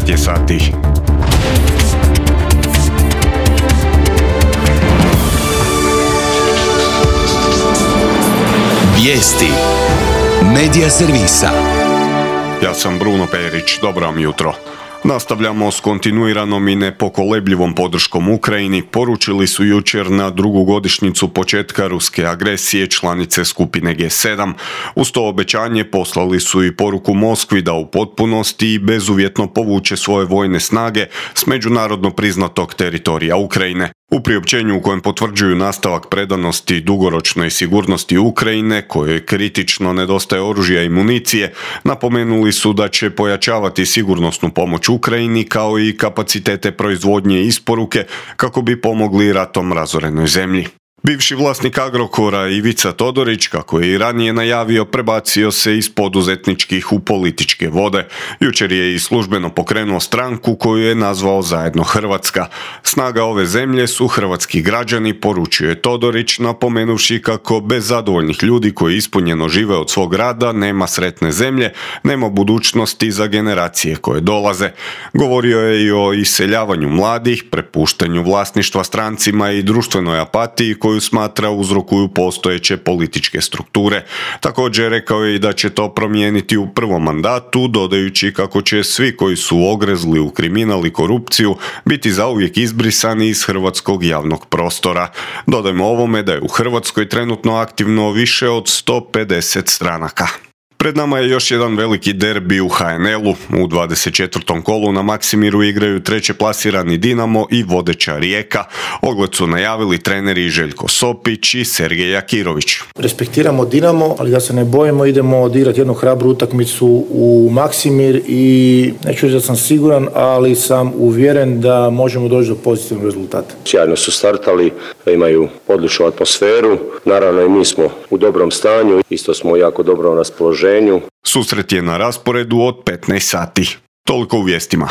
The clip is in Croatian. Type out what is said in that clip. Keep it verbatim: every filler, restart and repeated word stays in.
devet je sati. Vijesti Medija servisa. Ja sam Bruno Perić, dobro vam jutro. Nastavljamo s kontinuiranom i nepokolebljivom podrškom Ukrajini, poručili su jučer na drugu godišnjicu početka ruske agresije članice skupine G sedam. Uz to obećanje poslali su i poruku Moskvi da u potpunosti i bezuvjetno povuče svoje vojne snage s međunarodno priznatog teritorija Ukrajine. U priopćenju u kojem potvrđuju nastavak predanosti dugoročnoj sigurnosti Ukrajine, kojoj kritično nedostaje oružja i municije, napomenuli su da će pojačavati sigurnosnu pomoć Ukrajini kao i kapacitete proizvodnje i isporuke kako bi pomogli ratom razorenoj zemlji. Bivši vlasnik Agrokora Ivica Todorić, kako je i ranije najavio, prebacio se iz poduzetničkih u političke vode. Jučer je i službeno pokrenuo stranku koju je nazvao Zajedno Hrvatska. Snaga ove zemlje su hrvatski građani, poručio je Todorić, napomenuvši kako bez zadovoljnih ljudi koji ispunjeno žive od svog rada nema sretne zemlje, nema budućnosti za generacije koje dolaze. Govorio je i o iseljavanju mladih, prepuštanju vlasništva strancima i društvenoj apatiji koju smatra uzrokuju postojeće političke strukture. Također rekao je i da će to promijeniti u prvom mandatu, dodajući kako će svi koji su ogrezli u kriminal i korupciju biti zauvijek izbrisani iz hrvatskog javnog prostora. Dodajmo ovome da je u Hrvatskoj trenutno aktivno više od sto pedeset stranaka. Pred nama je još jedan veliki derbi u H N L-u. U dvadeset četvrtom kolu na Maksimiru igraju treće plasirani Dinamo i vodeća Rijeka. Ogled su najavili treneri Željko Sopić i Sergej Jakirović. Respektiramo Dinamo, ali da se ne bojimo, idemo odigrati jednu hrabru utakmicu u Maksimir i neću reći da sam siguran, ali sam uvjeren da možemo doći do pozitivnog rezultata. Sjajno su startali, imaju odličnu atmosferu, naravno i mi smo u dobrom stanju, isto smo u jako dobrom raspoloženju. Susret je na rasporedu od petnaest sati. Toliko u vijestima.